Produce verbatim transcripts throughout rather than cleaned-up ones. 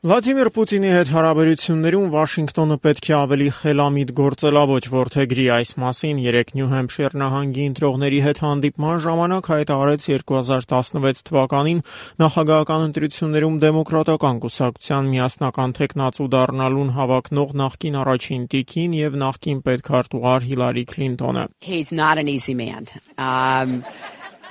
Վլադիմիր Պուտինի հետ հարաբերություններում Վաշինգտոնը պետք է ավելի խելամիտ գործելավոճ որդեգրի այս մասին երեկ Նյու Հեմփշիր նահանգի ընտրողների հետ հանդիպման ժամանակ հայտարարեց երկու հազար տասնվեց թվականին նախագահական ընտրություններում դեմոկրատական կուսակցության միասնական թեկնածու դառնալուն հավակնող նախկին առաջին տիկին եւ նախկին պետքարտուղար Հիլարի Քլինտոնը. He's not an easy man. Um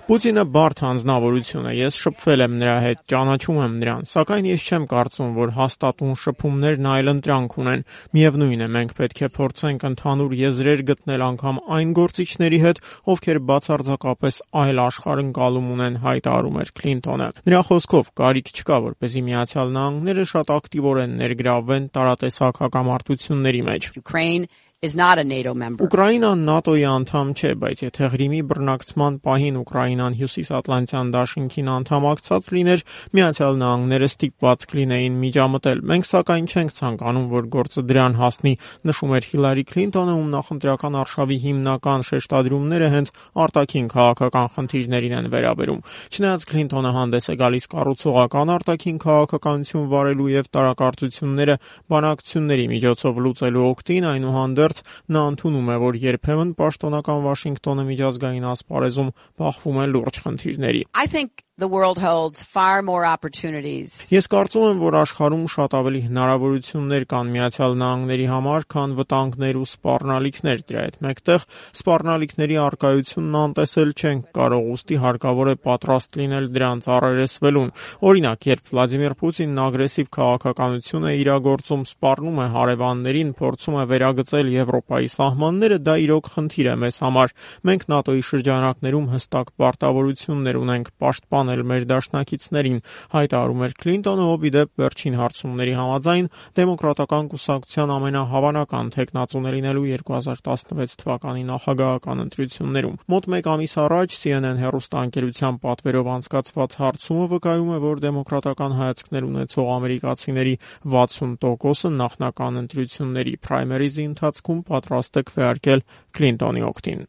Պուտինը բարդ հանձնավորություն է, ես շփվել եմ նրա հետ, ճանաչում եմ նրան, սակայն ես չեմ կարծում, որ հաստատուն շփումներն այլընտրանք ունեն, միևնույն է, մենք պետք է փորձենք ընդհանուր եզրեր գտնել անգամ այն գործիչների հետ, ովքեր բացարձակապես այլ աշխարհընկալում ունեն, հայտարարում էր Քլինտոնը։ Նրա խոսքով կարիք չկա, որպեսզի Միացյալ Նահանգները շատ ակտիվորեն ներգրավվեն տարատեսակ հակամարտությունների մեջ։ Ukraine is not a NATO member. Ուկրաինան ՆԱՏՕ-ի անդամ չէ, բայց եթե Ղրիմի բռնակցման պահին Ուկրաինան Հյուսիսատլանտյան դաշինքին անդամակցած լիներ, Միացյալ Նահանգները ստիպված կլինեին միջամտել։ Մենք սակայն չենք ցանկանում, որ գործը դրան հասնի, նշում էր Հիլարի Քլինտոնը, ում նախընտրական արշավի հիմնական շեշտադրումները հենց արտաքին քաղաքական խնդիրներին են վերաբերում։ Չնայած Քլինտոնը հանդես է գալիս կառուցողական արտաքին քաղաքականություն վարելու եւ տարակարծությունները բանակցությունների միջոցով լուծելու օգտին, այնուհանդերձ նա ընդունում է, որ երբեմն պաշտոնական Վաշինգտոնը միջազգային ասպարեզում բախվում է լուրջ խնդիրների. I think the world holds far more opportunities. Ես կարծում եմ, որ աշխարհում շատ ավելի հնարավորություններ կան Միացյալ Նահանգների համար, քան վտանգներ ու սպառնալիքներ, դրա հետ մեկտեղ սպառնալիքների առկայությունն անտեսել չենք կարող, ուստի հարկավոր է պատրաստ լինել դրանց առերեսվելուն։ Օրինակ, երբ Վլադիմիր Պուտինն ագրեսիվ քաղաքականություն է իրագործում, սպառնում է հարևաններին, փորձում է վերագծել Եվրոպայի սահմանները, դա իրոք խնդիր է մեզ համար։ Մենք ՆԱՏՕ-ի շրջանակներում հստակ պարտավորություններ ունենք պաշտպանել մեր դաշնակիցներին, հայտարարում էր Քլինտոնը, ով ի դեպ վերջին հարցումների համաձայն դեմոկրատական կուսակցության ամենահավանական թեկնածուն է լինելու երկու հազար տասնվեց թվականի նախագահական ընտրություններում։ Մոտ մեկ ամիս առաջ C N N հեռուստաընկերության պատվերով անցկացված հարցումը վկայում է, որ դեմոկրատական հայացքներ ունեցող ամերիկացիների վաթսուն տոկոսը նախնական ընտրությունների primary-ի ընթացքում պատրաստ է քվեարկել Քլինտոնի օգտին։